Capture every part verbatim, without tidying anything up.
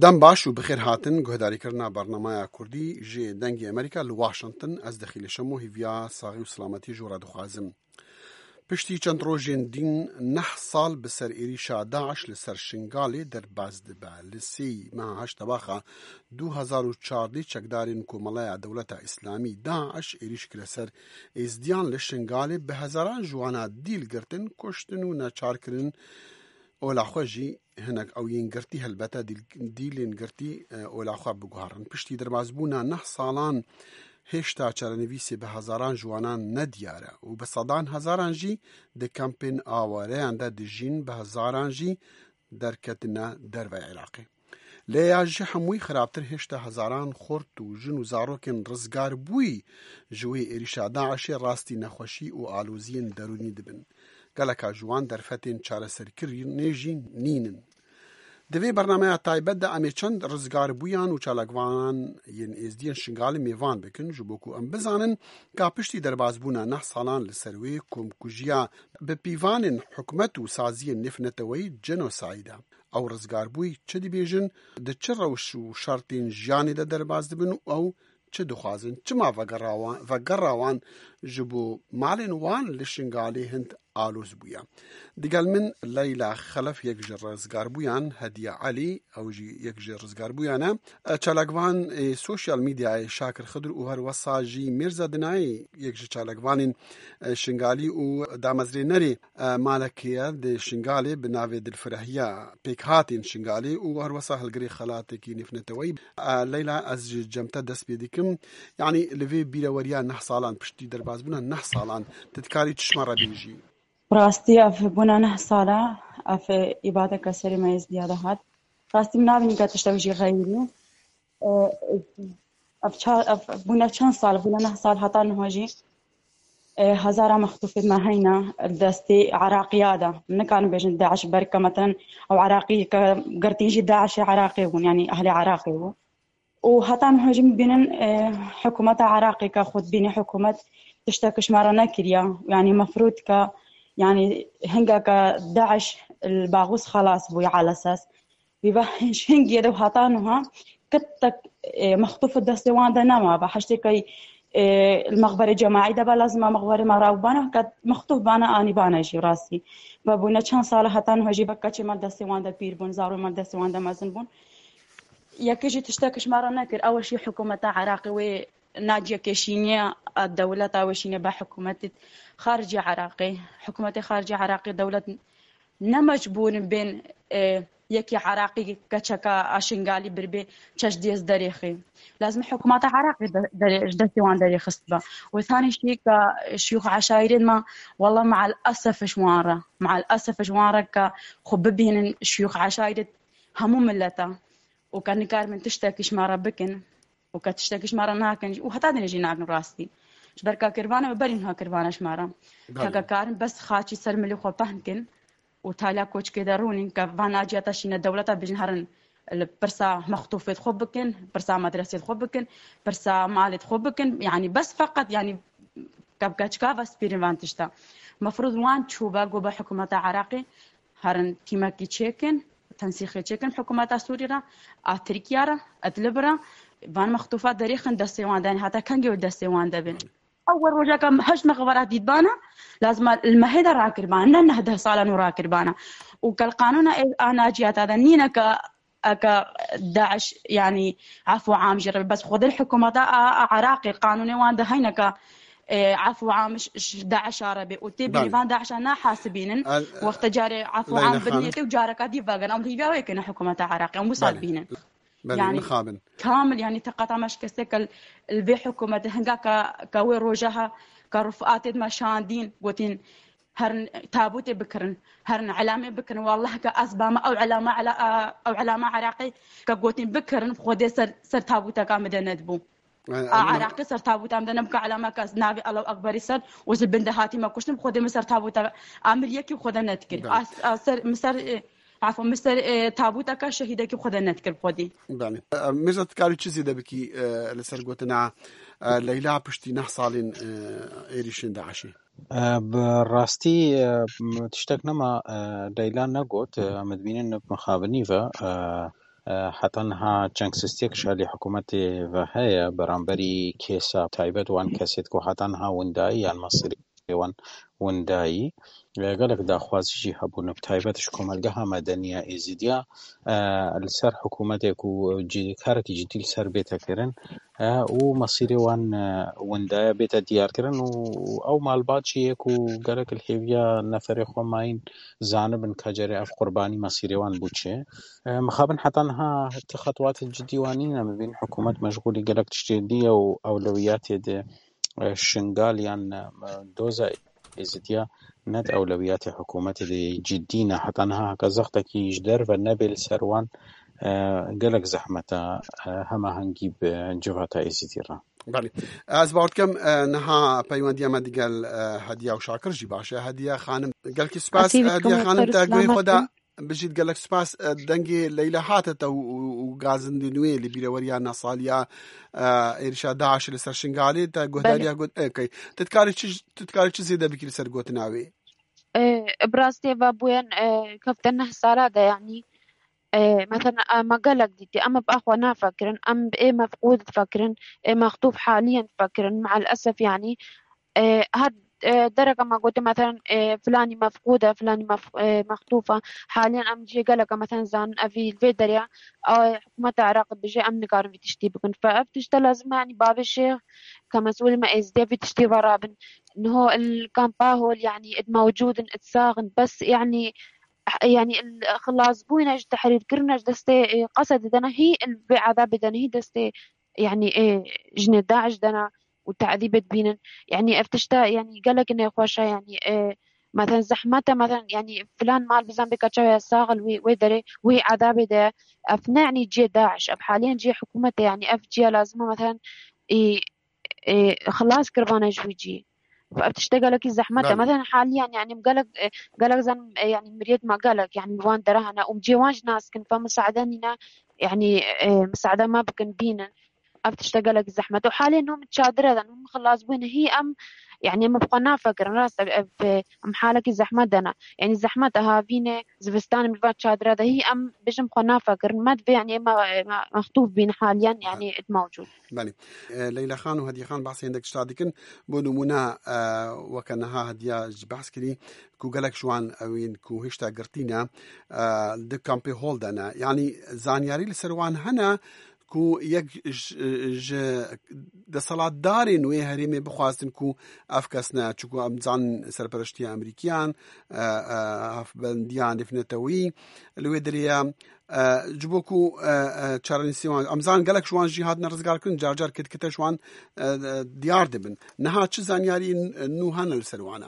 Dem baş û bi xêr hatin guhdarîkirina bernameya Kurdî ji Dengê Amerîka li Washington. Ez Dexîlê Şemo hîviya saxî û silametî ji we re dixwazim. Piştî çend rojên dîn neh sal bi ser êrîşa DAIŞ li ser Şingalê derbas dibe. Li sêyî meha heşt Tebaxa du hezar û çardeh çekdarên Komeleya Dewleta Îslamî, DAIŞ, êrîş kire ser êzdiyan li Şingalê, bi hezaran ji wana dîl girtin, kuştin û neçar kirin. Ola xwe jî hinek ew yên girtî helbete dîl-, dîlên girtî, e, ola xwe biguherin. Piştî derbasbûna neh salan hêşta çarenivîsê bi hezaran ji wanan nediyar e û bi sedan hezaran jî di kampên awareyan de dijîn, bi hezaran jî derketine dervey Iraqê. Lê ya ji hemûyî xirabtir, hêşta hezaran xort û jin û zarokên rizgarbûyî ji wê êrîşa DAIŞê rastî nexweşî û aloziyên derûnî dibin. Geleka ji wan derfetên çareserkirinê jî nînin. Di vê bernameya taybet de em ê çend rizgarbûyan û çalakvanan yên êzdiyên Şingalê mêvan bikin, ji bo ku em bizanin ka piştî derbasbûna neh salan li ser wê komkujiya bi pîvanên hikûmet û saziyên nêvneteweyî, jenosayîd e. Ew rizgarbûyî çi dibêjin, di çi rewş û şertên jiyanê de derbas dibin û ew çi dixwazin? Çima vegera wan, vegera wan ji bo malên wan li Şingalê hind aloz bûye? Digel min Leyla Xelef, yek ji rizgarbûyan, Hediye Elî, ew jî yek ji rizgarbûyan e. Çalakvan ê sosyal medyayê Şakir Xidir û her wesa jî Mîrza Dinayê, yek ji çalakvanên, e, Şingalî û damezrênerê e, malekê ye di Şingalê bi navê Dilfirehiya Pêkhatên Şingalê û her wesa hilgirê xelatekî nêvneteweyî. E, Leyla, ez ji cem te dest pê dikim. Yanî li vê bîreweriya neh salan, piştî derbasbûna neh salan, tu dikarî çi ji me re bêjî? Rastî ev bûna neh sala, ev îbadeke serê me êzdiya de hat. Rastî min nabînî ka tiştek jî xeyirî. E, ev ça-, ev bûne çend sal, bûne neh sal heta niha jî, e, hezara mextûfê me heyne destê Iraqiya de. Nikarin bêjin DAIŞ, berke, metelen, ew Iraqî ke girtî jî DAIŞê Iraqê bûn, yanî ehlê Iraqê bû. Û heta niha jî bînin, e, hikûmeta Iraqê ke xwe dibîne hikûmet tiştek ji me re nekiriye. Yanî mefrûd ke, yanî hingeke DAIŞ li Baxûs xelas bûye elesas. Vî ve hingê de heta niha kitek, e, mextûf destê wan de nema. Ve heştê key, e, li mexberê cemaî de be, lazim e mexberê me re bana, ke mextûf bana, anî bana jî rastî. Ve bûne çend sala heta niha jî ve keçê me destê wan de pîr bûn, zarokê me destê wan de mezin bûn. Yekê jî tiştek ji me re nekir. Ew jî hikûmeta Iraqê wê naciye kêşîniye, a dewleta wê şîne be hikûmetê xaricê Iraqê. Hikûmetê xaricê Iraqê dewlet ne mecbûr in bên, e, yekî Iraqî keçeka a Şingalî birbê çeş dêz derêxê. Lazim hikûmeta Iraqê de-, derê-, ji destê wan derêxist be. Û tanî şî ke şiyûx eşaîrên me, wela me'el esef ji wan re, me'el esef ji wan re ke xwe bibînin şiyûx eşaîrê hemû mileta. Û ke nikarin tiştekî ji me re bikin. û ke tiştekî ji me re nakin û heta dinê jî nakin rastî. Ji ber ka kirvana me berî niha kirvana ji me re. Belê. Heke karin bes xaçî ser milê xwe pehn kin û taliya koçkê de rûnin ke van naciya te şîne dewleta bijin herin li pirsa mextûfê xwe bikin, pirsa medresê xwe bikin, pirsa malê xwe bikin. Yanî bes feqet yanî ke bi keçika ve spîrin van tişta. Mefrûz wan çûbe go be hikûmeta Iraqê herin tîmekî çêkin, tensîxê çêkin hikûmeta Sûrî re, a Tirkiye re, Idlib re, van mextûfa derêxin destê wan de, heta kengê wê destê wan de bin. Ew we rojeka heşt mexwara dîtbana, lazim e li mehê de rakiribana, ne neh deh salan û rakiribana. Û kel qanûna ê a naciyata de nîne ke eke DAIŞ, yanî, efû am jî re be. Bes xwedê hikûmeta a, a Iraqê qanûnê wan de heyne ke, e, efû am ji, ji DAIŞa re bê û tê bînî Belê. van DAIŞa nahesibînin, El-, wexta carê efû Leyla am bidinê Xanim. tê û careka dî vegerin. Em hîviya wê kine hikûmeta Iraqê, em wisa Belê. bînin. Belê, Yanî, mixabin. kamil, yanî, teqata me şikeste ke li vê hikûmetê hinga ke, ke wê roja ha, ke rufatê me şandîn, gotin, herin tabûtê bikirin, herin elamê bikirin. Wallah ke ez bame ew elama, ela-, a, ew elama Iraqê ke gotin bikirin, Xwedê ser, ser tabûteka min de nedibû. E, A e, Iraqê ser tabûta min de nebû ke elama ke ez navê Allahu Ekberî ser û ji bin de hatî me kuştin, Xwedê min ser tabûta a min yekî Xwedê nedikir. Belê. A, a ser, min ser, e, afwan, min ser, e, tabûteka şehîdekî Xwedê nedikir Xwedê. Belê. E, Mirza, tu karî çi zêde bikî, e, li ser gotina, e, Leyla piştî neh salên, e, êrîşên DAIŞê? E, bi rastî, e, m-, tiştek nema, e, Leyla negot, e, em dibînin mixabinî ve, e, E, heta niha çengsistiyek ji alî hikûmetê ve heye beramberî kêsa taybet wan kesêt ku heta niha windayî yan mesîrê wan windayî. E, gelek daxwazî jî hebûn, bi taybet ji komelgeha medeniya Êzidiya, e, li ser hikûmetê ku cî-, karekî cidî li ser bête kirin, e, û mesîrê wan, e, windaya bête diyarkirin û ew malbat jî yê ku gelek li hêviya neferê xwe mayîn zanibin ka cerê ev qurbanî mesîrê wan bû çi. E, mixabin heta niha ti xetwatê cidî wan nîne, mibîn hikûmet meşgûlî gelek tiştê dî ye û ewlewiyatê di, e, Şingal yan, e, doza Êzidiya ne di ewlewiyatê hikûmetê de cidî ne. Heta niha heke zextekî ji derve nebê li ser wan, e, gelek zehmet e, e, hemahengî bi civata Êzidî re. Belê. Ez bawer dikim, e, niha peywendiya me digel, e, Hediya û Şakir jî baş e. Hediya xanim, gelkî spas. Hediya xanim, te guhê xwe da. Bijît, gelek spas. E, dengê Leyla hate te û, û, û gazindên wê li bîreweriya nasaliya, e, êrişa DAIŞ li ser Şingalê te guhdariya got, e, key. Tu dikarî çi, tu dikarî çi zêde bikî li ser gotina wê? E, bi rastî eva bûyen, e, kefte neh sala de, yanî, e, mesela, e, me gelek dîtî, em bi axwe nafikirin, em bi ê mefqûd difikirin, ê mextûf haliyen difikirin, me'el esef, yanî, e, her, e, dereka me gote, mesela, e, filanî mefqûd e, filanî mef-, e, mextûf e, haliyen em cihê geleka, mesela, zanin, evî li vê derê, e, hikûmeta Iraqê dibêje, em nikarin vî tiştî bikin. Fe ev tişte lazim e, yanî, bavê şêx, ke mesûlê me êzidî ye, vî tiştî ve rabin. Niho il kampa hol, yanî, id mewcûd in, id sax in, bes, yanî, yanî, il xilasbûyine ji tehrîrkirine ji destê, e, Qesedê de ne, hî il vê ezabê de ne, hî destê, yanî, e, jinê DAIŞ de ne û tedîbê dibînin. Yanî, ev tişte, yanî, gelek nexweş e, yanî, e, mesela zehmet e, mesela, yanî, filan mal bizan bê keçe ya sax il wê, wê derê, wê ezabê de, ev ne, yanî, cihê DAIŞ, ev haliyen cihê hikûmetê, yanî, ev ciya lazim e, mesela, e, e, xilas kirvane ji wî cî. Ev tişte gelekî zehmet e. Belê. Mesela haliyan, yanî, em gelek, e, gelek zan, e, yanî, miriyet me gelek, yanî, wan dere hene. Û cê wan jî nas kin, fe misaade nîne, yanî, e, misaade me bikin, bînin. Ev tişte gelekî zehmet. Û halê nû min çadire de, nû min xilas bûne. Hî em, yanî, em bi xwe nafikirin. Rast, ev, ev, e, em halekî zehmet de ne. Yanî, zehmet e havînê, zivistanê min va çadire de. Hî em bijim xwe nafikirin. Me divê, yanî, me, me, mextûf bîn haliyan, yanî, id mewcûd. Belê. E, Leyla Xan û Hediye Xan behsê hindek tişta dikin. Bo nimûne, e, weke niha Hediya jî behs kirî ku gelek ji wan ewên ku hêşta girtî ne, e, di kampê hol de ne. Yanî zanyarî li ser wan hene ku yek ji, ji deselatdarên wê herêmê bixwazin ku ev kes ne, çunku em zanin serpereştiya Amerîkiyan, e, e, hevbendiya nêvnetewî li wê derê ye. E, ji bo ku, e, e, çarenivîsê wan, em zanin gelek ji wan jî hatine rizgarkirin, car car kitkite ji wan, e, e, diyar dibin. Niha çi zanyarî n-, nû hene li ser wan e?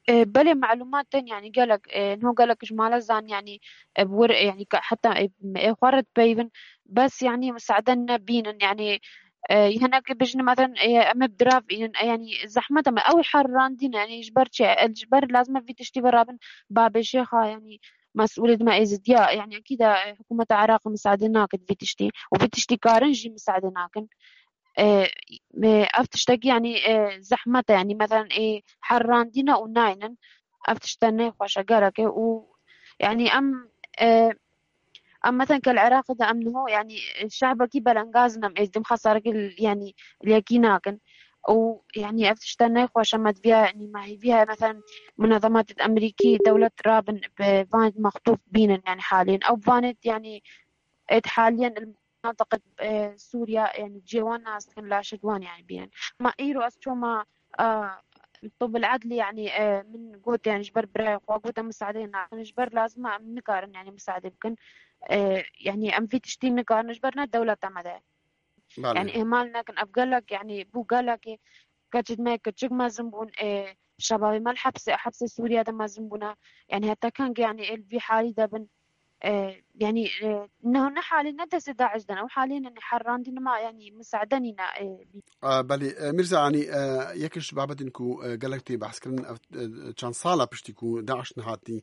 E, belê, melumat tên, yanî gelek, e, niho gelek ji mala zan, yanî, e, bi wir, e, yanî ke heta, e, ê xwe re dipeyivin, bes, yanî, misaade nebînin, yanî, e, hinek bijin, mesela, e, em ê bi dirav bînin, e, yanî, zehmet e me, ew ê herrandî ne, yanî, ji ber çi? E, ji ber lazim e vî tiştî ve rabin, babê şêxa, yanî, mesûlê dime êzidiya, yanî, ekîd e, e, hikûmeta Iraqê misaade nakin vî tiştî û vî tiştî karin jî misaade nakin. E, e, ev tiştekî, yanî, e, zehmet e, yanî, mesela, ê herrandî ne û naynin. Ev tişte nexweş e, gerek e û, yanî, em, e, em, mesela, ke li Iraqê de em niho, yanî, şehbekî belengaz in, em êzidî em xesarekî, yanî, li yekî nakin. Û, yanî, ev tişte nexweş e, me diviya, yanî, me hêvî heye, mesela, munezematê Amerîkî, dewlet rabin, bi vanê mextûf bînin, yanî, halên. Ew vanê, yanî, êd haliyen li menatiqê, e, Sûriya, yanî, cihê wan nas dikin, laşê wan, yanî, bînin. Ma îro ez çoma, e, Tob el Edlî, yanî, e, min got, yanî, ji ber birayê xwe got, em misaadeyê nakin, ji ber lazim e em nikarin, yanî, misaade bikin. E, yanî, em vî tiştî nikarin, ji ber ne dewleta me de. Belê. Yanî, ihmal nekin, ev gelek, yanî, bû gelekê, keçê me kiçik mezin bûn, e, şebabê me li hepsê, hepsê Sûriye de mezin bûne. Yanî, heta keng, yanî, ê li vî halî de bin. E, yanî, e, ne, ne halê ne destê DAIŞ de ne, ew halê ne, ne herrandî nima, yanî, misaade nîne, e, bî. E, belê, e, Mîrza, yanî, e, yek ji babetên ku, e, gelek tê behs kirin, ev, e, çend sala piştî ku DAIŞ nehatî,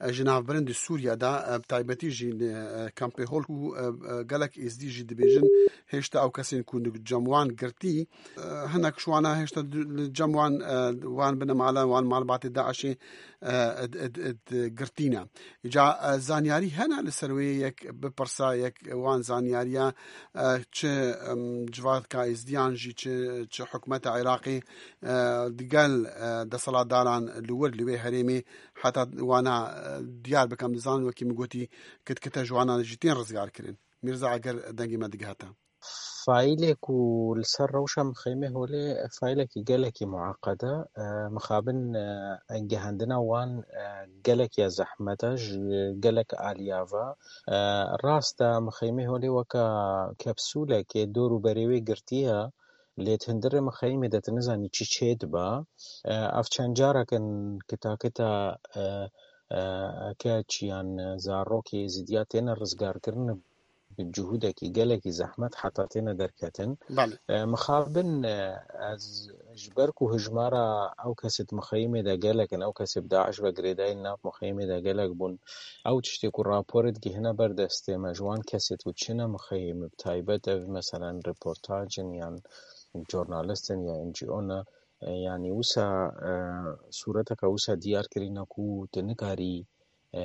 e, ji navbirin di Sûriye de, e, bi taybetî jî li, e, kampê hol ku, e, e, gelek êzdî jî dibêjin, hêşta ew kesên ku li cem wan girtî, e, hinek ji wana hêşta di, li cem wan, e, wan binemala, wan malbatê DAIŞê, e, ed, ed, ed, girtî ne. Îca, e, zanyarî hene li ser wê yek bipirsa, yek wan zanyariya, e, çi, em, civaka Êzidiyan jî, çi, çi hikûmeta Iraqê, e, digel, e, desthilatdaran li wir li wê herêmê heta wana, e, diyar bikim, dizanin wekî min gotî kitkite ji wana jî tên rizgar kirin. Mîrza, eger dengê me digihete. Faîlê ku li ser rewşa mixeymê holê, faîlekî gelekî mueqed e. E, mixabin, e, gihandina wan, e, gelek ya zehmet e, ji gelek aliya ve. E, rast e, mixeymê holê weka kepsûlekê dor û berê wê girtiye, lê di hundirê mixeymê de tu nizanî çi çê dibe. E, ev çend carek in kita kita, e, e, keç yan zarokê Êzidiya têne rizgarkirin, bi cihûdekî gelekî zehmet heta têne derketin. Belê. E, mixabin, e, ez ji ber ku hijmara ew kesê di mixeyimê de gelek in, ew kesê bi DAIŞ ve girêdayî li nav mixeyimê de gelek bûn, ew tiştê ku raporê digihîne ber destê me, ji wan kesê ku çine mixeyimê, bi taybet ev, meselen, reportaj in yan jornalist in ya N G O ne, e, yanî wisa, e, sûreteke wisa diyar kirîne ku tu nikarî, e,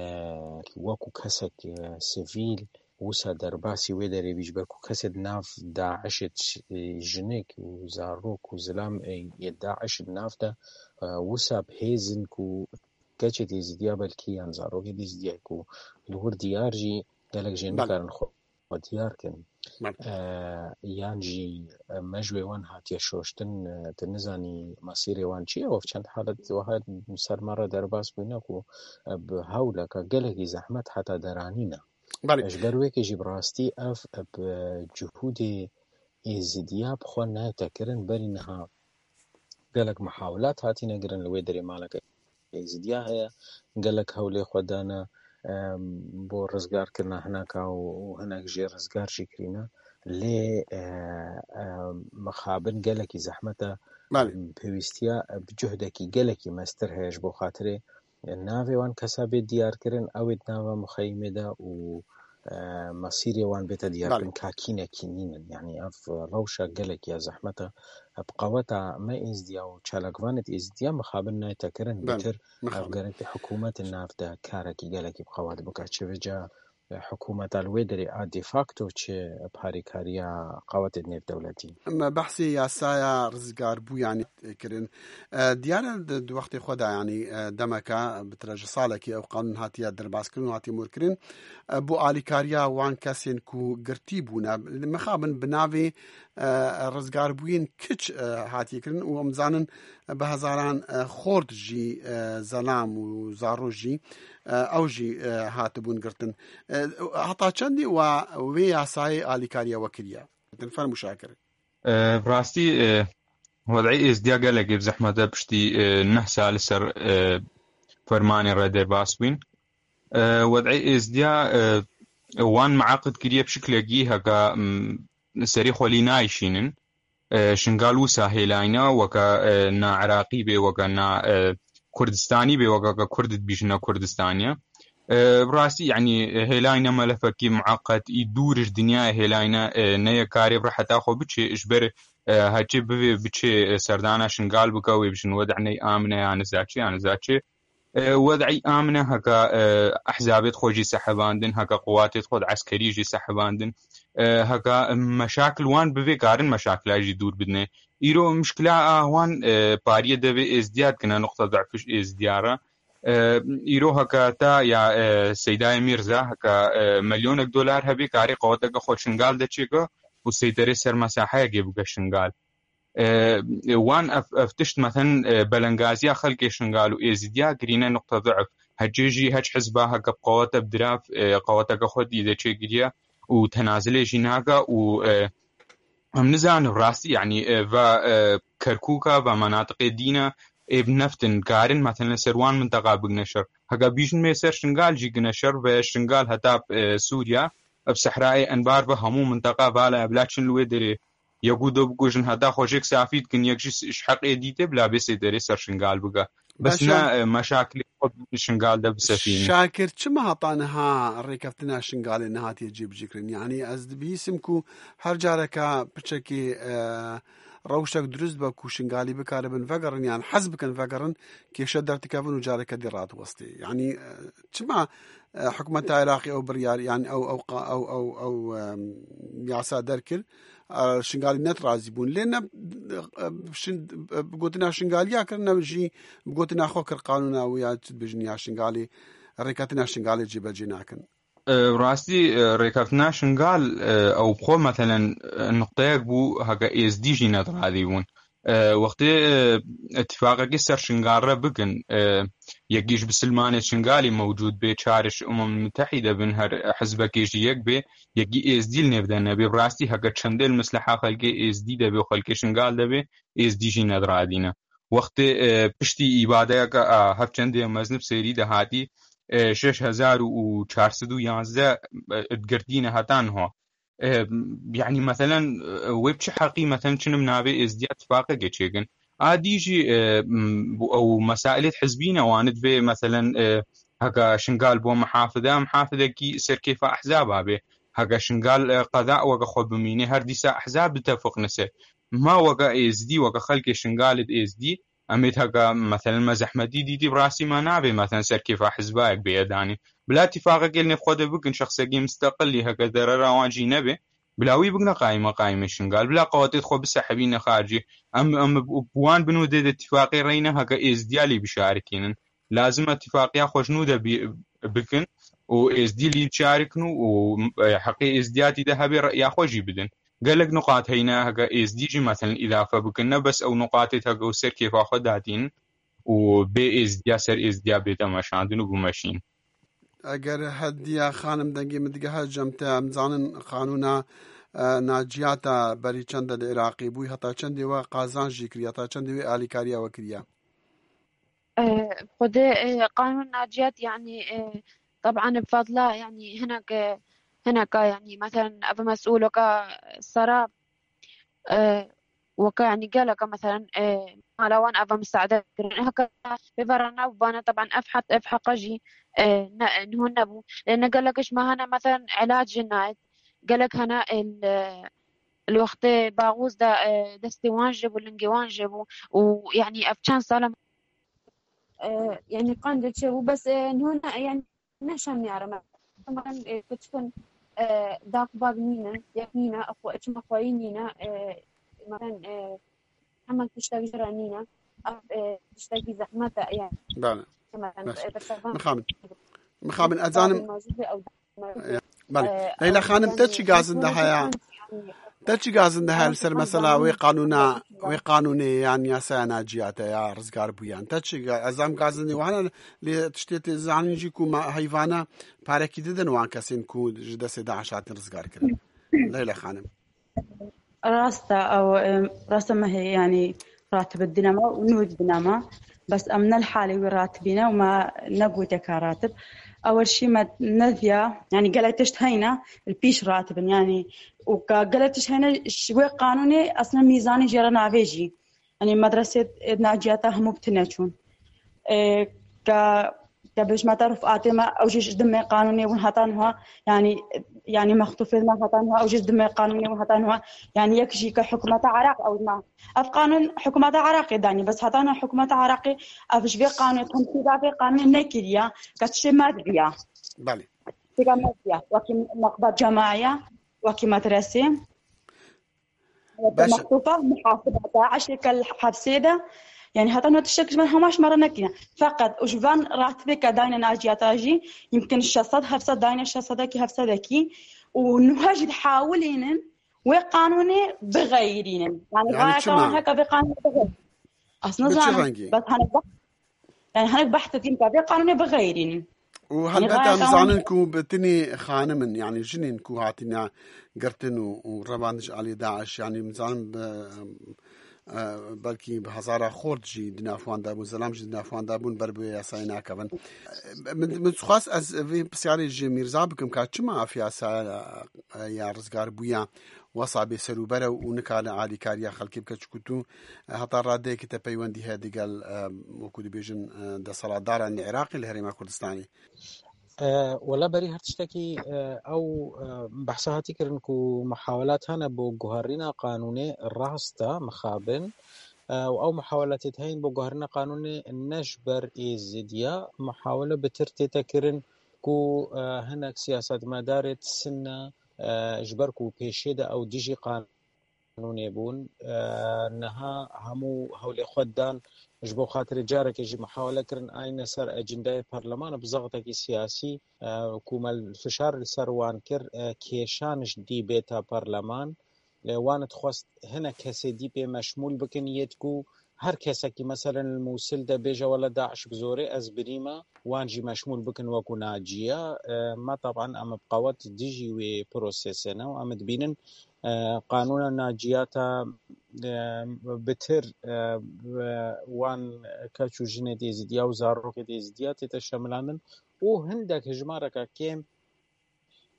wekû kesek, e, sivîl wisa derbasî wê derê bî, ji ber ku kesê di nav DAIŞê ç-, e, jinik û zarok û zilam, e, yê DAIŞ di nav de, e, wisa bi hêz in ku keçê Êzidiya belkî yan zarokê Êzidiya ku li wir diyar jî gelek jê Belê. nikarin xwe diyar kin. Belê. E, yan jî, e, mejwê wan hatiye şoştin, e, tu nizanî mesîrê wan çi ye? Ev çend halet wiha ser me re derbas bûne ku, e, bi hewleke gelekî zehmet heta deranîne. Belê. Ji ber wekê jî bi rastî ev, e, bi cihûdê Êzidiya bi xwe nayete kirin, berî niha gelek mihawilat hatine kirin li wê derê maleke Êzidiya heye, gelek hewlê xwe dane, em, bo rizgarkirina hineka û, û hinek jê rizgar jî kirîne. Lê, e, e, mixabin gelekî zehmet e, Belê. em, pêwîstiya, e, bi cuhdekî gelekî mestir heye ji bo xatirê, e, navê wan kesa bê diyarkirin, ew ê di nava mixeyimê de û, e, mesîrê wan bête diyarkirin, Belê. ka kî ne kî nînin. Yanî ev rewşa gelekî ya zehmet e. Bi qeweta me Êzidiya û çalakvanê Êzidiya mixabin nayte kirin, Belê, bêtir ev mixabin. gerek hikûmetê nav de karekî gelekî bi qewet bike. Çi vêca, e, hikûmeta li wê derê a de facto, çi bi harîkariya qewetê nêvdewletî. Me behsê yasaya rizgarbûyanê kirin. E, diyar e di, di wextê xwe de, yanî, e, demeke, bi tire ji salekî ew qanûn hatiye derbas kirin û hatiye morkirin. E, bo alîkariya wan kesên ku girtî bûne, mixabin bi navê e, rizgarbûyên kiç, e, hatiye kirin û em zanin, e, bi hezaran, e, xort jî, e, zelam û zaro jî, e, ew jî, e, hatibûn girtin. E, heta çendî we wê yasayê alîkariya we kiriye? Din fermû Şakir. E, bi rastî, e, wed'ê Êzdiya gelekê bi zehmet e piştî, e, neh sal li ser, e, fermanê re derbas bûyn. E, wed'ê Êzdiya, e, wan miaqid kiriye bi şiklekî heka, m, serê xwe lî nayşînin. E, Şingal wisa hêlayne, weke, e, na Iraqî bê, weke na, e, Kurdistanî bê, weke ke Kurd dibîjine Kurdistaniye. E, bi rastî, yanî, hêlayne melefekî mueqet, î dûr ji dinyayê hêlayne, e, neye karê bi reheta xwe biçê, ji ber, e, heçê bivê biçê, e, serdana Şingal bike, wê bijin wed'ê ney amine ya nizaçê, ya nizaçê. E, wed'î amine heka, e, ehzabêt xwe jî sehibandin, heka quwatêt xwe di eskerî jî sehibandin, e, heka meşakil wan bivê karin meşakila jî dûr bidine. Îro mişkila a wan, e, pariyê devê Êzdiya dikine, nuqta du'fiş Êzdiya re. E, îro heka ta ya, e, Seydayê Mîrza, heka, e, milyonek dolar hebê karê qeweteke xwe Şingal de çêke û seyterê ser mesaheyekê bike Şingal. E, wan ev, ev tişt, meten, e, belengaziya xelkê Şingal û Êzidiya kirîne nuqta du'f. Hecê jî heç hizba heke bi qewete bi dirav, e, qeweteke xwe dî de çêkiriye û tenazilê jî nake û, e, em nizanin rastî, yanî, e, va, e, Kerkûka, va menatiqê dîne, ê bi neft in, karin, meten, li ser wan minteqa bigine şer. Heke bîjin mê ser Şingal jî gine şer ve Şingal heta, e, Sûriya, bi sehrayê Enbar ve hemû minteqa vala bila çin li wê derê. Yek û du bikujin, heta xwe jêk safî dikin, yek jî s-, ji heqê dîtê bila bê sêderê ser Şingal bike. Bes Başa. ne, e, meşakilê xwe bi Şingal de bisefînin. Şakir, çima heta niha rêkeftina Şingalê nehatiye cêbicîkirin? Yanî ez dibihîsim ku her careke piçekê, e, rewşek dirust be ku Şingalî bikaribin vegerin yan hez bikin vegerin, kêşe derdikevin û careke dî radiwestê. Yanî, e, çima, e, hikûmeta Iraqê ew biryar, yanî ew, ew qa-, ew, ew, ew, em, yasa derkir, e, Şingalî net razî bûn. Lê ne, e, şin-, e, bi gotina Şingaliya kir, ne jî bi gotina xwe kir qanûna wî ya çi dibêjin ya Şingalê, rêkeftina Şingalê cêbecê nakin. E, rastî, e, rêkeftina Şingal, e, ew bi xwe, meselen, e, nuqteyek bû, heke Êzdî jî nediradî bûn. E, wextê, e, îtîfaqekî ser Şingal re bikin, e, yekî ji bisilmanê Şingalî mewcûd bê, çar ji Umem Mitehîde bin, her hizbekê jî yek bê, yekî Êzdî li nêv de nebê. Bi rastî heke çendê li misleha xelkê Êzdî de bê û xelkê Şingal de bê, Êzdî jî nediradîne. Wextê, e, piştî îbadeyeke, e, hevçendê mezin bi sêrî de hatî, e, şeş hezar û çar sed û yazdeh, e, girtîne heta niha. E, yanî, meselen, e, wê bi çi heqî, meselen, çinim navê Êzdiya tifaqeke çêkin? A dî jî, e, m, bu, ew mesailê hizbî ne, wan divê, meselen, e, heke Şingal bo mihafide, mihafidekî serkêfa ehzaba bê. Heke Şingal, e, qeda weke xwe bimîne, her dîsa ehzab ditefiqne ser. Ma weke Êzdî, weke xelkê Şingalê di Êzdî, em ê heke, meselen, me zehmetî dîtî, bi rastî me navê, meselen, serkêfa hizbayek bêye danî. Bila tifaqekê li nêv xwe de bikin, şexsekî misteqilî heke derera wan jî nebe, bila wî bigine qayîme qayîmê Şingal, bila qewetê xwe bisehibîne xaricê. Em, em bi wan bin û dê de tifaqê reyne heke Êzdiya lî bişarikînin. Lazim e tifaqiya xwe ji nû de bî-, bikin û Êzdî lî şarikin û, û, e, heqê Êzdiyatî de hebe reya xwe jî bidin. Gelek nuqat heyne, heke Êzdî jî, meselen, îdafe bikin. Ne bes ew nuqatê heke ew ser kêfa xwe datînin û bê Êzdiya ser Êzdiya bête meşandin û bimeşîn. Eger Hediya Xanim dengê min digehe cem te, em zanin qanûna, e, naciyata berî çend de li Iraqê bûyî, heta çendê we qazanc jî kiriye, heta çendê wê alîkariya we kiriye? Xwedê, e, qanûn naciyat, yanî, e, teban bi fadla, yanî hinek, e, hineka, yanî, meselen, ev mesûl weka sera, e, weka, yanî, geleka, meselen, e, mala wan ev misaade kirin. Heke vê vera nabûbane, teban ev het, ev heqa jî, e, ne, niho nebû. Lê ne gelek ji me hene, meselen, ilac jî nayet. Gelek hene, e, li, li wextê baxûz de, e, destê wan jê bû, lingê wan jê bû û, yanî, ev çend sal e, e, yanî qandê çêbû, bes, e, niho ne, yanî neşemiyare me. Em, e, keçikên, e, dak bak nîne, yek nîne, xwe, çima xweyî nîne, e, meren, e, hemen tiştek jê re nîne. Ev, e, tiştekî zehmet e, yanî. Bale. Mixabin. Mixabin, ez zanim. Belê. Leyla Xanim, te çi gazin de heye? Te çi gazin de heye li ser mesela wê qanûna, wê qanûnê yan yasaya naciyate ya rizgar bûyan? Te çi ga-, ez zam gazin de wahana lê tiştê tê zanîn jî ku ma heyvana parekî didin wan kesên ku ji destê DAIŞ hatin rizgar kirin. Leyla Xanim. Rast e, ew, em, rast e, me hê, yanî, ratib didine me û nû didine me. Bes em ne li halê wî ratibîne û me negotiye ka ratib. Ew şî me neviya, yanî, gelek tişt heyne, li pîş ratibin, yanî, û ka gelek tişt heyne, ji wê qanûnê, aslında, mîzanê jê re navê jî. Yanî medresê, e, naciyata hemû bi tune çûn. E, ke, ke bêjme te rifqatê me, ew jî ji dimê qanûnê bûn heta niha, yanî, yanî mextûfê me heta niha, ew jî ji dimê qanûnê bûn heta niha. Yanî yek jî ke hikûmeta Iraq ew me. Ev qanûn hikûmeta Iraqê danî, bes heta niha hikûmeta Iraqê ev ji vê qanûnê, temsîla vê qanûnê nekiriye, ke tiştê me dibiya. Belê. Tiştê me dibiya. Wekî meqbet cemaya, wekî medresê. Baş e. Mextûfa, muhasiba DAIŞê ke li hepsê de, yanî heta niha tiştek ji van hema ji me re nekirine. Feqet û ji van ratibê ke dayne naciyata jî, yimkin şeş sed, heft sed dayne, şeş sedekî, heft sedekî û niha jî dihawilînin wê qanûnê bixeyirînin. Yanî, yanî gayeka çima? Wan heke vê qanûnê bixeyirînin. Ez nizanim. Bi çi rengî? Bes hene Yani hinek behs dikin ka vê qanûnê bixeyrînin. Û helbet em zanin ku bi tinî xanim in, yani jinên ku hatine girtin û, û revandin ji alî DAIŞ, yani em zanin bi, e, belkî bi hezara xort jî di nav wan de bûn, zelam jî di nav wan de bûn, ber bi wê yasayê nakevin. E, min, min dixwest ez vê pisyarê ji Mîrza bikim ka çima ev yasa, e, ya rizgarbûya wesa bê serûber e û nikare alîkariya xelkê bike, çiku tu, e, heta radeyekî te peywendî heye digel, e, wekû dibêjin, e, desthilatdaran li Iraqê, li Herêma Kurdistanê? E, wela berî her tiştekî, e, ew, e, behsa hatî kirin ku muhawelat hene bo guherîna qanûnê rast e, mixabin. E, û ew muhawelatê heyîn bo guherîna qanûnê ne ji ber Êzidiya, muhawele bi tir tête kirin ku, e, hinek siyasetmedarê di Sinne, e, ji ber ku pêşê de ew dijî qanûnê bûn. E, niha hemû hewlê xwe dan ji bo xatirê carekê jî muhawele kirin ayne ser ecindeyê parleman bi zextekî siyasî, e, ku me fişar li ser wan kir, e, kêşan ji dî bêta parleman. E, wan dixwest hinek kesê dî pê meşmûl bikin yêt ku her kesekî meselen li Mûsil de bêje wele DAIŞ bi zorê ez birîme, wan jî meşmûl bikin wekû naciya. E, me taban em bi qewet dijî wê prosesê ne û em dibînin, e, qanûna naciyata, e, bitir, e, wan keç û jinê Êzidiya û zarokê Êzidiya tête şemilandin û hindek hijmareke kêm,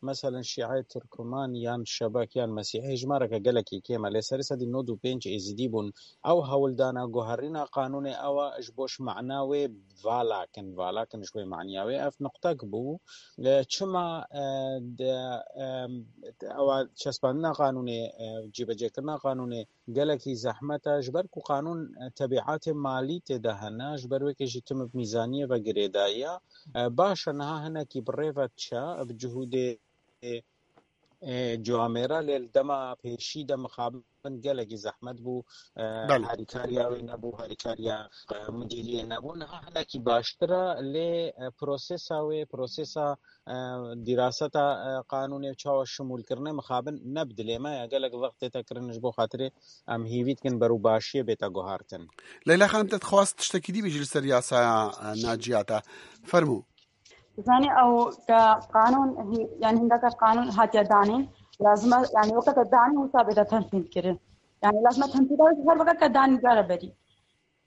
meselen şîe, tirkman yan şebek yan mesîhî, hijmareke gelekî kêm e, lê serê sedî nod û pênc Êzidî bûn. Ew hewldana guherîna qanûnê ew e ji bo ji mana wê vala kin, vala kin ji wê maniya wê. Ev nuqtek bû. E, çima, e, de, e, ewa çespandina qanûnê, e, cîbecêkirina qanûnê gelekî zehmet e, ji ber ku qanûn, e, tebîatê malî tê de hene, ji ber wê ke jî tim bi mîzaniyê ve girêdayî ye. E, baş e, niha hinekî bi rê ve diçe, bi cihûdê, e, e, ciwamêra, lê li dema pêşî de mixabin gelekî zehmet bû. E, Belê. Harîkariya wê nebû, harîkariya, e, mudîriyê nebû. Niha hinekî baştir e, lê, e, prosesa wê, prosesa, e, dîraseta, e, qanûnê û çawa şimûlkirine mixabin ne bi dilê me ye. Gelek wext tête kirin ji bo xatirê em hîvî dikin berû başiyê bête guhartin. Leyla Xanim, te dixwest tiştekî dî bêjî li ser yasaya, e, naciyata. Fermû. Zanî ew ke qanûn, hî-, yani hindaka qanûn hatiye danîn, lazim e, yani weke te danî wisa bête tenfîz kirin. Yani lazim e tenfîz her weke ke danî cara berî.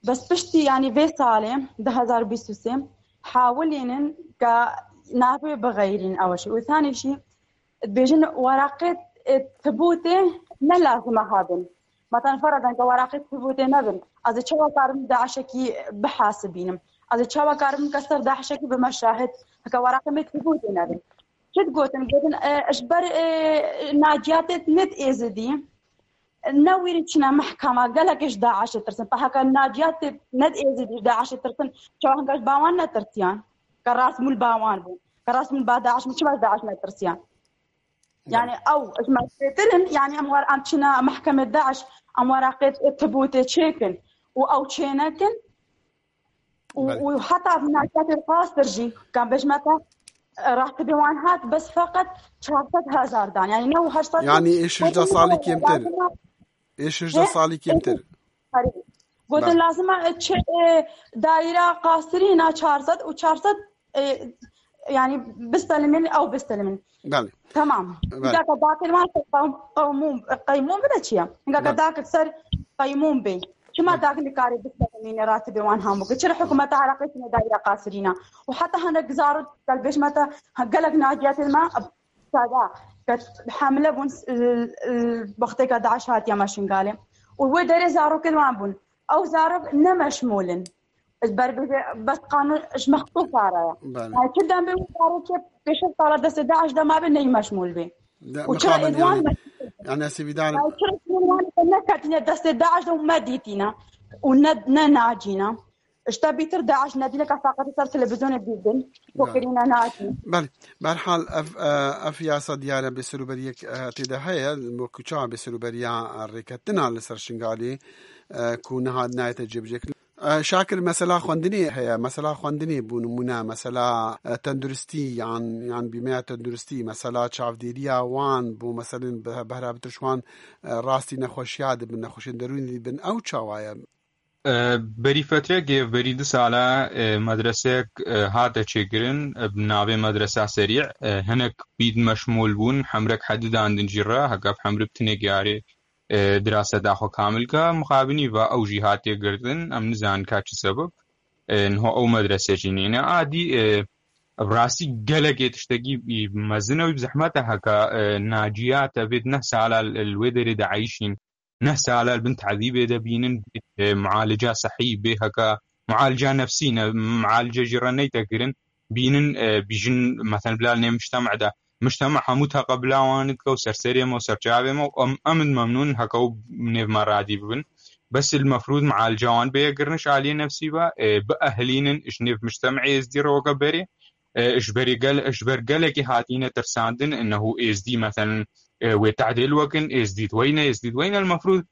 Bes piştî, yanî vê salê, du hezar bîst û sê, hawilînin ke navê bixeyrîn ew jî. Û thanî jî dibêjin weraqê, e, tibûtê ne lazim e hebin. Matan feradan ke weraqê tibûtê nebin. Ez ê çawa karim DAIŞekî bihasibînim? Ez ê çawa karim ke ser DAIŞekî bime şahid? Heke weraqê me tibûtê nebin. Çi digotin? Gotin, e, ji ber, e, naciyatê nid Êzidî. Ne wîrî çine mehkema, gelek ji DAIŞê tirsin. Pe heke naciyatê ned Êzidî ji DAIŞê tirsin, çawa hinga ji bawan netirsiyan? Ke rast mûl bawan bû. Ke rast mûl ba DAIŞ bû, çima ji DAIŞ netirsiyan? Yani ew, ji me zêdetir in, yani em war, em çine mehkemê DAIŞ, em weraqê tibûtê çêkin û ew çênekin. Û, Belê. Û heta naciyatê qasir jî, kan bêjme te, e, ratibê wan hat, bes feqet çar sed hezar dan. Yani ne û heşt sed Yani ê şêşde salî kêmtir. Lazim e Ê şêşde He? salî kêmtir. Herî. Gotin Belê. Lazim e, çi, e, daîra qasirîna çar sed û çar sed, e, yani bistelimin, ew bistelimin. Belê. Tamam. Belê. Hingaka dakir wan qewm-, qewmûn, qeymûn bide çi ye? Hingaka Belê. dakir ser qeymûn bê. Çima Belê. dak nikarê biselemîne ratibê wan hambû? Çira hikûmeta Iraqê çine daîra qasirîna? Û heta hinek zarok, gel bêjme te, ha, gelek naciyatên me, sada, ke hemle bûn, l-, l-, wextêka DAIŞ hatiye me Şingalê. Û wê derê zarokên wan bûn. Ew zarok ne meşmûl in. Ji ber bêje, bes qanûn ji mextû sara ye. Belê. Yani çi dem bê wî zarokê pêşî sala destê DAIŞ de mabe ney meşmûl bê. De, Û çira mixabin êdwan yani. meşmûl bê? Yani ez ê vî danim. Yani çira êdwan neketîne destê DAIŞ de û me dîtîne. Û ne, ne nacîne. Ji te bîtir DAIŞ nedîne ka feqet ser televîzyonê bîdin. Belê. Kokirîne nacî. Belê. Berhal ev, e, ev yasa diyar e bêserûberiyek, e, tê de heye. Wekî çawa bêserûberiya, e, rêketina li ser Şingalê, e, ku niha nayete cêbicêkirin. E, Şakir, mesela xwendinê heye, mesela xwendinê bû nimûne, mesela, e, tenduristî yan, yan bîmeya tenduristî, mesela çavdêriya wan bû, meselên be-, behra bitir ji wan, e, rastî nexweşiya dibin, nexweşên derûnî dibin, ew çawa ye? E, berî fetrekê, berî du sala, e, medreseyek, e, hate çêkirin, e, bi navê Medresa Serî, e, hinek bîd meşmûl bûn, hemrek hedidandin jî re, heke bi hemri bi tinê giyarê e, diraseta xwe kamil ka, mixabinî va ew jî hatiye girtin, em nizanin ka çi sebab, e, niho ew medrese jî nîne. A dî, e, ev rastî gelekê tiştekî, e, mezin e û bi zehmet e heka, e, naciyate vê neh sala li wê derê de eyşîn, neh sala li bin tezîbê de bînin, e, mualica sehî bê heka, mualica nefsî ne, mualice jî re neyte kirin. bînin, e, bîjin, meten bila nê mujtema de, mujtema hemû teqebila wan dike û serserê me û serçavê me û em, em in memnûn heke û nêv me radî bibin. Bes il mefrûd mialca wan bêye kirin ji aliyê nefsî ve, e, biehlînin ji nêv mujtemê êzdî re weke berê. E, ji berê gel-, ji ber gelekê hatîne tirsandin, innehu êzdî, meten, e, wê tehdêl wekin, êzdî di weyne, êzdî di weyne, il mefrûd,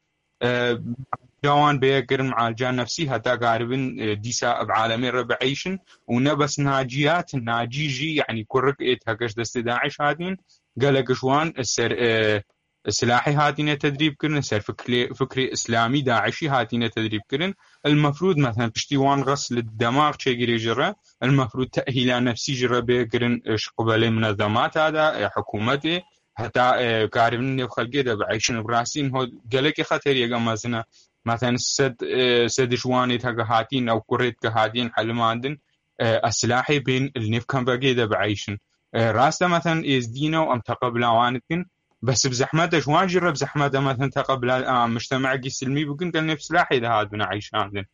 e, mialca wan bêye kirin, mialca nefsî, heta karibin, e, dîsa bi alemê re bieyşin û ne bes naciyat, nacî jî, yanî kurik êt heke ji destê DAIŞ hatin, gelek ji wan ser, e, silahê hatine tedrîb kirin, ser fikrê, fikrê îslamî DAIŞî hatine tedrîb kirin. Il mefrûd, meten, piştî wan xes li demax çêgirê ji re, il mefrûd tehîla nefsî ji re bê kirin, e, ji qibelê minezemata de, e, hikûmetê, heta, e, karibin nêv xelkê de bieyşin. Bi rastî ho gelekê xeteriyeke mezin e. Meten sed, e, sed ji wanê heke hatîn ew kurê dike hatîn helimandin, e, ez silahê bên li nêv kempekê de bieyşin. E, rast e, meten êzdî ne û em teqebila wan dikin. Bes bi zehmet e, ji wan jî re bi zehmet e, meten teqebila, a, mujtemekî silmî bikin, gel nêv silahê de hatibin eyşandin.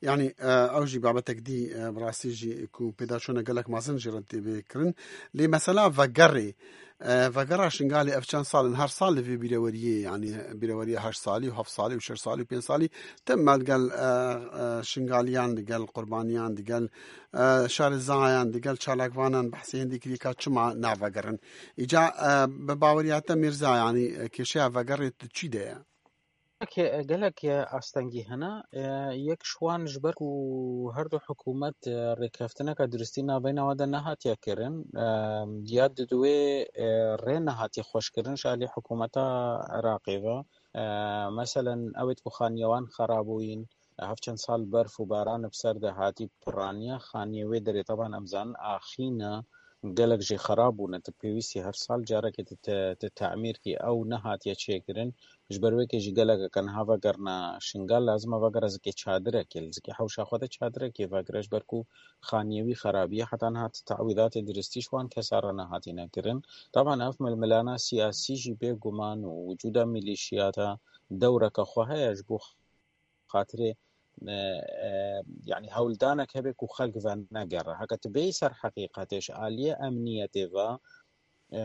Yanî, e, ew jî babetek dî, e, bi rastî jî ku pêdaçûna gelek mezin jî re tê bê kirin. Lê mesela vegerê, e, vegera Şingalê ev çend sal in, her sal li vê bîreweriyê, yanî bîreweriya heşt salî û heft salî û şeş salî û pênc salî, tim me digel, e, e, Şingaliyan, digel Qurbaniyan, digel, e, şarezayan, digel çalakvanan behsê hindî kiriye ka çima navegerin. Îca, e, bi baweriya te Mîrza, yanî, e, kêşeya vegerê di çî de ye? Gelek, gelek astengî hene. E, yek ji wan ji ber ku her du hikûmet, e, rêkeftineke duristî navbeyna wan de nehatiye kirin, e, ya di duwê, e, rê nehatiye xweşkirin ji alî hikûmeta Iraqê ve. E, meselen, ewêt ku xaniye wan xera bûyîn, hev çend sal berf û baran bi ser de hatî piraniya xaniyê wê derê. Teban em zanin axîna gelek jî xera bûne. Tu pêwîstî her sal carekê tu te-, tu temîr kî, ew nehatiye çêkirin. Ji ber wê kê jî gelek eke niha vegerine Şingal, lazim e vegere zikê çadirekê, li zikê hewşa xwe de çadirekê vegire, ji ber ku xaniyê wî xerabiye. Heta niha ti te'wîdatê diristî ji wan kesa re nehatîne kirin. Teban ev milmilana siyasî jî bêguman û wicûda milîşiyata dewreke xwe heye ji bo xatirê, e, e, yanî hewldanek hebe ku xelk venegere. Heke tu bêyî ser heqîqetê ji aliyê emniyetê ve, e,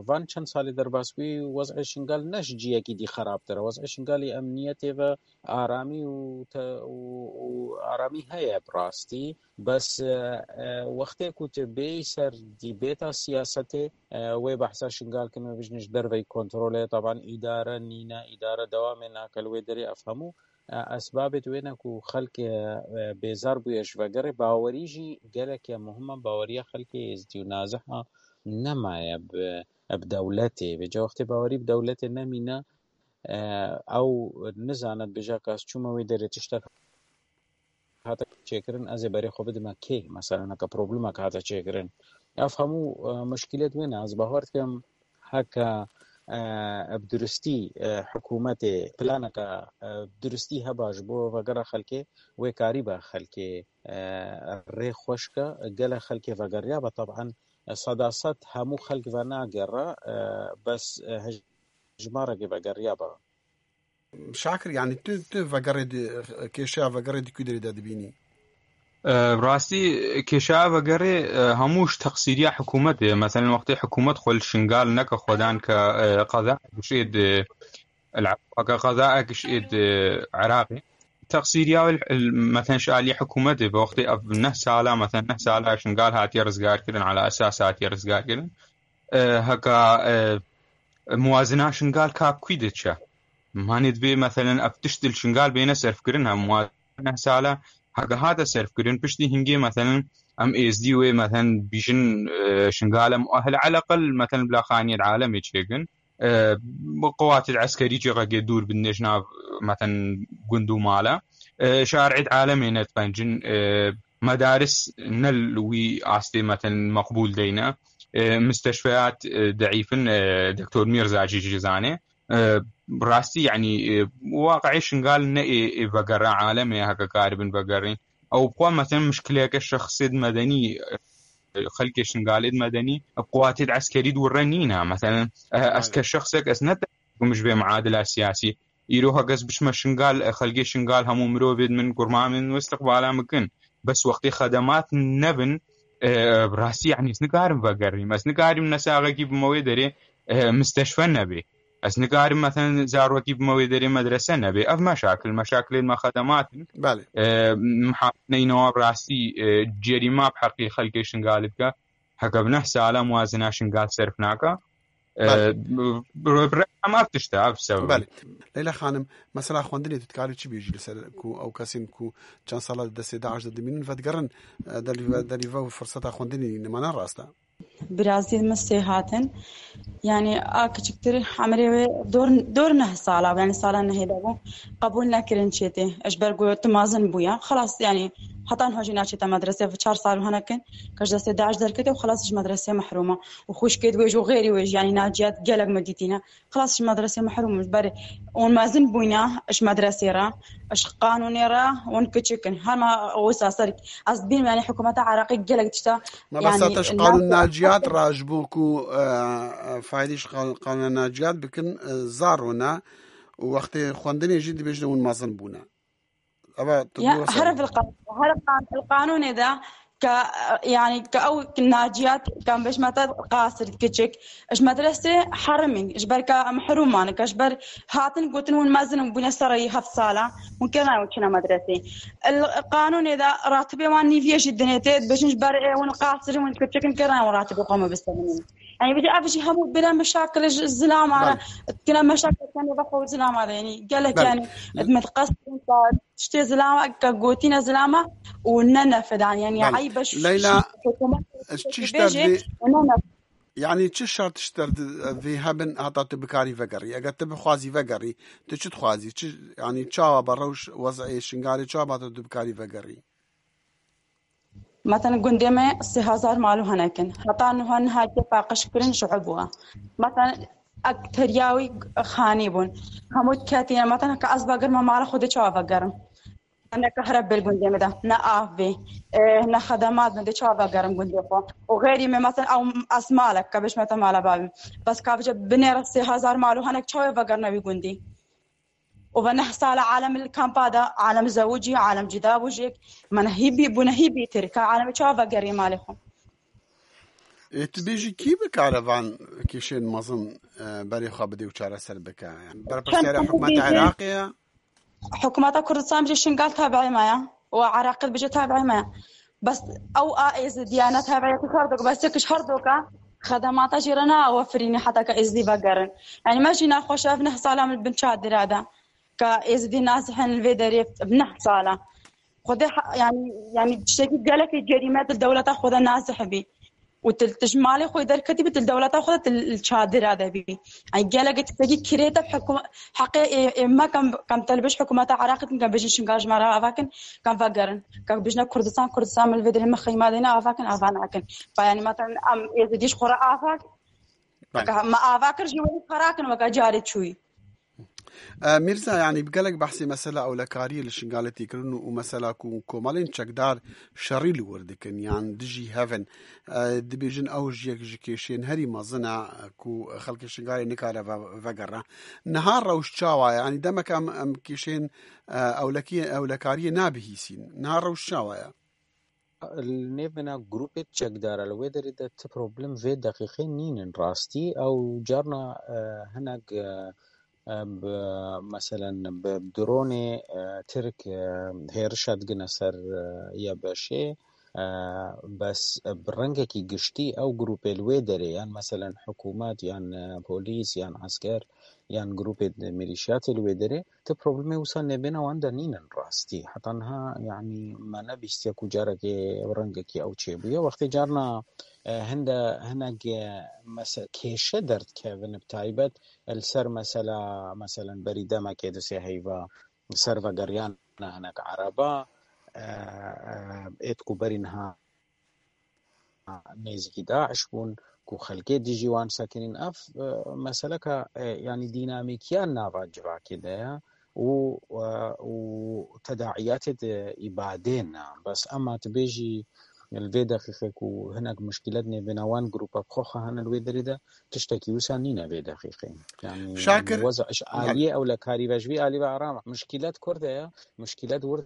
van çend salê derbas bûyî, wez'ê Şingal ne ji ciyekî dî xerabtir e. Wez'ê Şingalî emniyetê ve aramî û te-, û, û aramî heye bi rastî. Bes, e, e, wextê ku tu bêyî ser dîbêta siyasetê, e, wê behsa Şingal kin, wê bijin ji derveyî kontrolê, teban îdare nîne, îdare dewamê nake li wê derê, ev hemû, e, esbabê di wê ne ku xelk, e, e, bêzar bûye ji vegerê. Bawerî jî gelek ya muhim e, baweriya xelkê êzdî û naziha nemaye bi, bi dewletê. Vêca wextê bawerî bi dewletê nemîne, e, ew nizane dibêje ka ez çûme wê derê tiştek hate çêkirin, ez ê berê xwe bidime kê? Mesela neke problemek hate çêkirin. Ev hemû, e, muşkîlet wê ne. Ez bawer dikim heke, e, bi duristî, e, hikûmetê planeke, e, bi duristî heba ji bo vegera xelkê, wê karîbe xelkê, e, rê xweş ke, gelek xelkê vegeriya be. Teban, e, seda sed hemû xelk venagere, e, bes, e, hejmarekê vegeriya be. Şakir, yanî tu, tu vegerê di, kêşeya vegerê di ku derê de dibînî? E, rastî kêşeya vegerê, e, hemû ji teqsîriya hikûmetê ye. Meselen, wextê hikûmet xwe li Şingal neke xwedan ke, e, qeza gişê di, el-, ke qeza gişê di Iraqê. Teqsîriya wê, el-, meselen, ji alî hikûmetê bi wextê ev neh sala, meselen, neh sala Şingal hatiye rizgarkirin, ala esas hatiye rizgarkirin. E, heka, e, muwazina Şingal ka bi kû diçe? Manê dibê, meselen, ev tişt li Şingal bêne serfkirin, hem muwazina sala heke hate serfkirin, piştî hingê, meselen, em êzdî wê, meselen, bîjin, e, Şingal em ehil eleqel, meselen, bila xaniyê di alemê çêkin. E, bi qewatê eskerî cihekê dûr bin, ji nav, meselen, gund û mala. E, şarê di alemê nediqencin, e, medaris ne li wî astê, meten, meqbûl deyne. E, misteşfeyat, e, deîf in, e, Doktor Mîrza jî jî zanê. E, rastî, yanî, e, waqiê Şingal ne ê, ê vegera alemê heke karibin vegerîn. Ew bi xwe, meten, muşkileke şexsê di medenî, e, xelkê Şingalê di medenî, bi qewatê di eskerî di wir re nîne. Meten, e, ez ke şexsek, ez ne te-, ji vê muadila siyasî. Îro heke ez biçime Şingal, e, xelkê Şingal hemû mirovê min, kurma min û istiqbala min kin. Bes wextê xedemat nebin, E, bi rastî, yanî, ez nikarim vegerîm. Ez nikarim nesaxekî bime wê derê, e, misteşfe nebê. Ez nikarim, meselen, zarokî bime wê derê medrese nebê. Ev meşakil, meşakilên me xedemat in. Belê. E, mihakimeynê wan bi rastî, e, cerîma bi heqî xelkê Şingalê dike. Heke bi neh sala muwazina Şingal serf naka. E, Belê. bi, bi, bi rexem ev tişt e, ev sebeb e. Belê. Leyla Xanim, mesela xwendinê tu dikarî çi bêjî li ser ku ew kesên ku çend sala di destê DAIŞ de dimînin, vedigerin, e, derî ve, derî ve û firseta xwendinê nîne, ne rast e? Birazî min sê hatin. Yani a kiçiktir emrê wê dor, dor neh sala, yani sala nehê de bû. Qebûl nekirin çêtê. Ji ber ku tu mezin bûya. Xelas, yani heta niha jî naçête medrese, çar sal û henekin. Ke ji destê DAIŞ derkete û xelas ji medresê mehrûm e. Û xwişkê wê jî û xêrî wê jî, yani Naciyat gelek me dîtîne. Xelas ji medresê mehrûm in. Ji ber ûn mezin bûyne ji medresê re, ji qanûnê re ûn kiçik in. Hema wisa ser ez dibînim, yani hikûmeta Iraqê gelek tişta, Mebesta yani, te ji qanûn Naciyat re ji bo ku, e, e, faydî ji qan-, qanûna Naciyat bikin, e, zar rûne û wextê xwendinê jî dibêjin hûn mezin bûne. Eva tu Ya, dua her ser. Fil qan-, her qan-, fil qanûnê de ke, yani, ke ew Naciyat, ke bêjme te qasir kiçik, ji medresê herimîn, ji ber ke mehrûman, ke ji ber hatin gotin hûn mezin in, bûne sereyî heft sala, hûn kirina hûn çine medresê. El qanûnê de ratibê wan nîviyê jî dinê tê, dibêjin ji ber ê hûn qasir in, hûn kiçik in, kirina hûn ratibê xwe me bisevinîn. Yani, bir de ev jî hemû bire meşakil ji zilama re, Belê. Kine meşakil kene ve xwe zilama re, yani, gelek, Belê. Yani, me qasir in, tiştê zilama, ke gotîne zilama û ne nefedan, yani, Belê. Eyb e, Leyla, hikûmet ez çi ji te bêje vê-, û ne nef- yani, çi şert ji te vê hebin heta tu bikarî vegerî? Eger tu bixwazî vegerî, tu çi dixwazî? Çi, yani, çawa be rewş wez'ê Şingalê, çawa be tu bikarî vegerî? Mesela gundê me sê hezar mal û henek in. Heta niha niha paqij kirin ji eb bû. Mesela ek teriyawî xanî bûn. Hemû ketîne. Mesela ke ez vegerim mala xwe dê çawa vegerim? Ne kahre bir gundê me de, ne av bê, e, ne xedemat me dê çawa vegerim gundê xwe. Û xeyrî me mesela ew ez malek ke bêjme te mala bavê. Bes ka bêje binêre sê hezar mal û henek çawa vegerine wî gundî? û ve neh sala alem li kampa de, alem zewicî, alem cida bû jêk. Me nehî bî, bû nehî bîtir. Ka alem çawa vegerî malê xwe? Ê, tu bêjî kî bikare van kêşên mezin, e, berê xwe bidê û çareser bike? Yani, berpirsiyara Çend hikûmeta bêjin? Iraqê ye? Hikûmeta Kurdistan bêje Şingal tabiî me ye. Û Iraqê bêje tabiî me ye. Bes ew a Êzidiya ne tabiya ku her doka, bes yek ji her doka xedemata jî re nayê wefirînê heta ke Êzidî vegerin. Yani me jî naxweş e, ev neh sala min bin çadira de. Ke Êzidî nazih in li vê derê neh sala. Xwedê ha-, yani, yani tiştekî gelekî cerîme di dewleta xwe de nazih bî. Û tu, tu ji malê xwe derketî bî, tu li dewleta xwe de tu li çadira de bî. Ey gelek tiştekî kirê te hikûme-, heqê ê, ê me kem, kem te li bêj hikûmeta Iraqê din, kem bêjin Şingal ji me re ava kin, kem vegerin. Kem bêjine Kurdistan, Kurdistan min li vê derê me xeyma dêne ava kin, ava nakin. Ba, yani, mesela em Êzidî ji xwe re ava kin. Belê. Ka me ava kir jî welî xera kin weke carê çûyî. E, Mîrza, yanî bi gelek behsê mesela ewlekariyê li Şingalê tê kirin û, û mesela ku komelên çekdar şerî li wir dikin yan dijî hev in. E, dibêjin ew ji yek ji kêşên herî mezin e ku xelkê Şingalê nikare ve-, vegere. Niha rewş çawa ye? Yanî demek em, em kêşên, e, ewlekiyê, ewlekariyê nabihîsîn. Niha rewş çawa ye? Li nêvbena grûpê çekdara li wê derê de ti problem vê deqîqê nînin rastî. Ew carna, e, hinek, e, e, bi, meselen bi dronê, e, Tirk, e, hêrişa digine ser, e, YBŞ'ê, e, bes bi rengekî giştî ew grûpê li wê derê, yan meselen hikûmet, yan, e, polîs, yan esker, yan grûpê milîşiyatê li wê derê, ti problemê wisa nêvbêna wan de nînin rastî. Heta niha, yanî, me nebîstiye ku carekê rengekî ew çêbûye. Wextê carna, e, hinde, hinek, e, mese-, kêşe derdikevin, bi taybet li ser mesela, meselen, berî demekê di sê heyva ser vegeriyana hinek ereba, e, e, êt ku berî niha nêzîkî DAIŞ bûn, ku xelkê dijî wan sekinîn. Ev, e, meseleka, e, yanî dînamîkiya nava civakê de ye û, e, û tedaiyatê de îbadê ne. Bes ema tu bêjî li vê deqîqê ku hinek muşkîlet nêvbêna wan grûpa bi xwe xwe hene li wê derê de, tiştekî wisa nîne vê deqîqê. Yanî Şakir, weza ji aliyê ewlekarî ve, ji vî alî ve aram e. Muşkîlet kur de ye, muşkîlet wir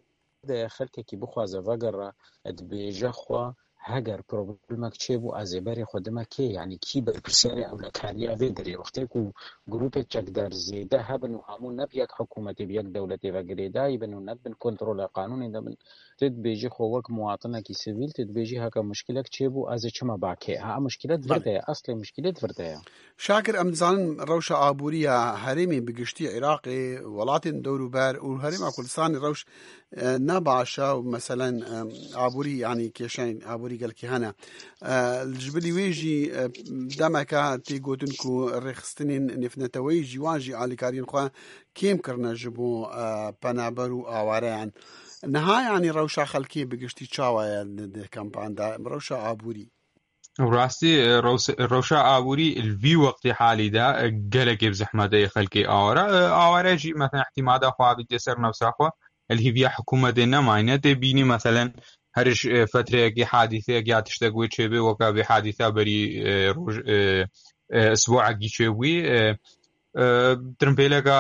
de ye, xelkekî bixwaze vegere, dibêje xwe Heger problemek çêbû, ez ê berê xwe dime kê? Yanî kî berpirsiyarê ewlekariya vê derê? Wextê ku grûpê çekdar zêde hebin û hemû ne bi yek hikûmetê, bi yek dewletê ve girêdayî bin û ne bin kontrola qanûnê de bin, tu dibêjî xwe wek muwatinekî sivîl, tu dibêjî heke muşkilek çêbû, ez ê çima ba kê? Ha, muşkilet vir de ye, eslê muşkilet vir de ye. Şakir, em dizanin rewşa aborî ya herêmê bi giştî Iraqê, welatên dewrûber û herêma Kurdistanê rewş, e, ne baş e û meselen, e, aborî, yanî kêşeyên aborî gelkî hene. E, ji bilî wê jî, e, demeke tê gotin ku rêxistinên nêvneteweyî jî wan jî alîkariyên xwe kêm kirine ji bo, e, penaber û awareyan. Niha yanî rewşa xelkê bi giştî çawa ye di, di kampan de? Rewşa aborî. Rastî, e, rews-, rewşa aborî li vî wextê halî de, e, gelekê bi zehmet e xelkê aware. E, aware jî, mesela, îtimada xwe avîtê ser nefsa xwe, li hêviya hikûmetê nemayne. Tê bînî, meselen, her ji, e, fetreyekî, hadîseyek ya tiştek wê çêbê, weka vê hadîsa berî, e, roj, e, e, isbuekî çêbûyî, e, e, tirimpêleka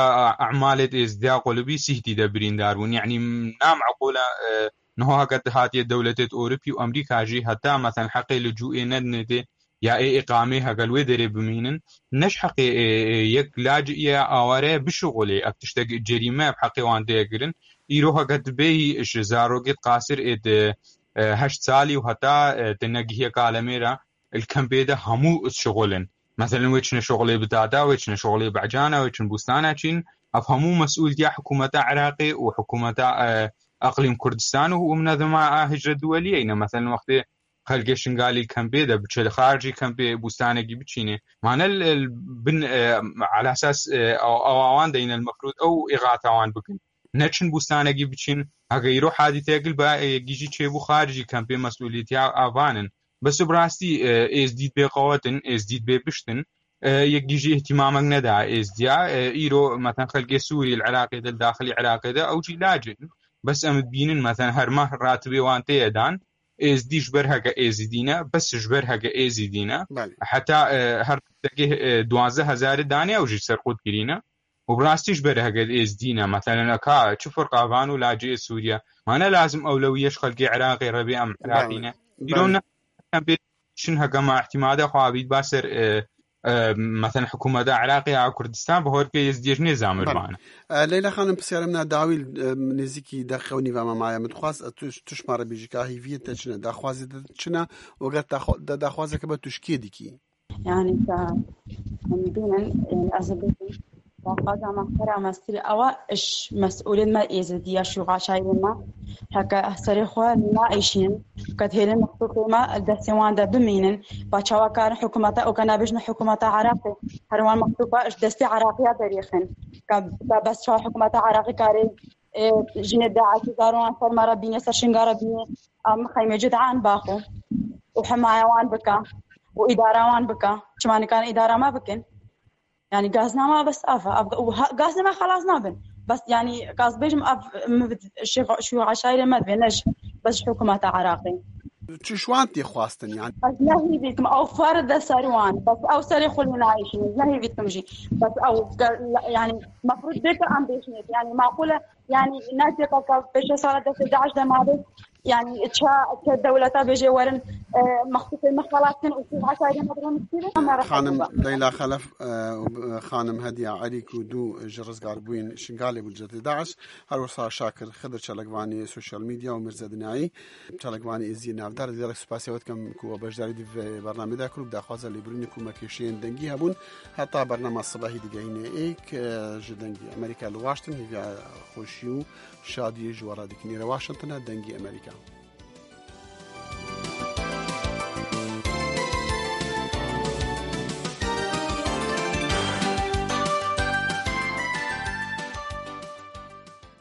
emalê êzdiya qulibî Sîhtî de birîndar bûn. Yanî, nameqûl e, e, niha heke hatiye dewletê Ewropî û Amerîka jî heta, meselen, heqê licûê nedinê tê, ya ê îqamê heke li wê derê bimînin, ne ji heqê, e, e, yek lacê ya aware bişuxulê, ev tiştek cerîme bi heqê wan tê kirin. Îro heke tu bêyî ji zarokê qasir ê di, e, heşt salî û heta, e, te negihiye kalemê re, li kempê de hemû şixul in. Meselen, wê çine şixulê bi dada, wê çine şixulê bi ecana, wê çin bûstana çîn. Ev hemû mesûltiya hikûmeta Iraqê û hikûmeta, e, Eqlîm Kurdistan û, û minezema a hicret duweliyê ne. Meselen, wextê xelkê Şingalî li kempê de biçe li xaricî kempê bûstanekî biçîne. Mane li, li bin, e, ala esas, e, aw-, awa wan de yine li mefrûd ew îxata wan bikin. Neçin bûstanekî biçîn. Heke îro hadîseyek li ba, e, gîjî çêbû xaricî kempê mesûlîtiya avan in. Bes bi rastî, e, êzdî bê qewet in, êzdî bê pişt in. E, yek gîjî îhtimamek neda êzdiya. E, îro, meten xelkê Sûrî li Iraqê de, li daxilî Iraqê de, ew jî lacê in. Bes em dibînin, meten her meh ratibê wan tê ye dan. Êzdî ji ber heke êzidî ne, bes ji ber heke êzidî ne. Belê. Heta, e, her tiştekê, e, duwazdeh hezarê danê ew jî serqût kirîne. Û bi rastî ji ber heke êzdî ne. Meselen, eka çi firqa van û lacê Sûriye. Mane lazim ewlewiyê ji xelkê Iraqê re bê, em Iraqî ne. Îro ne em pê çin heke ma îhtimade xwe avît ba ser, e, e, meselen, hikûmeta Iraqê ya Kurdistan, bi horkê êzdiyê ji nêzamir bane. E, Leyla Xanim, pisyarê min a dawî, e, nêzîkî deqe û nîva me maye. Min dixwast, e, tu, tu ji me re bêjî ka hîviyê te çi ne, daxwazê te çi ne û eger te xwe, de daxwazeke be tu ji kê dikî? Yani ka em bînin, yani ez ê bêjim, daxwaza me xera mestir ewa iş mesûlên me êzidî ya şûxa şairên me heke serê xwe naîşînin, ke dihêlin mextûfê me li destê wan de bimînin, ba çawa karin hikûmeta û ke nabêjin hikûmeta Iraqê, her wan mextûfa ji destê Iraqiya derêxin. Ka, ka bes çawa hikûmeta Iraqê karê, e, jinê DAIŞ û zaroyan ser me re bîne, ser Şingal re bîne, em xeymê cidan baxo û himaye wan bike û îdara wan bike. Çima nikarin îdara me bikin? Yani gaznama bes ev e. Ev, û ha, gaznama xelas nabin. Bes yani gaz bêjim ev mi şû, şû aşayirê me divê, ne ji, bes ji hikûmeta Iraqê. Çi ji wan tê xwestin yani? Ez ne hîvî dikim, ew fer de ser wan. Bes ew serê xwe lê nayêşînin. Ne hîvî dikim jî. Bes ew ge-, yani mefrûd bê ke em bêjinê. Yani maqûl e, yani ne cêka ke pêşe sala destê DAIŞ de mabe. Yani ça, ça dewleta bêje werin, e, mextûfê me xelas kin û şû aşayirê me birin kîrin. Xanim Leyla Xelef, e, û, e, xanim Hediya Erî ku du ji rizgarbûyên Şingalê bû li cihê DAIŞ. Her wisa Şakir Xidir, çalakvanê sosyal medya, û Mirze Dinayî, çalakvanê êziyê navdar, gelek spasiya we dikim ku we beşdarî di vê bernamê de kir û bi daxwaza lêbirînê ku me kêşeyên dengî hebûn. Heta bernama sibehî digehîne êk, e, ji Dengî Amerîka li Washington, hêviya xweşî û şadiyê ji we re dikin. Êre Washington e, Dengî Amerîka.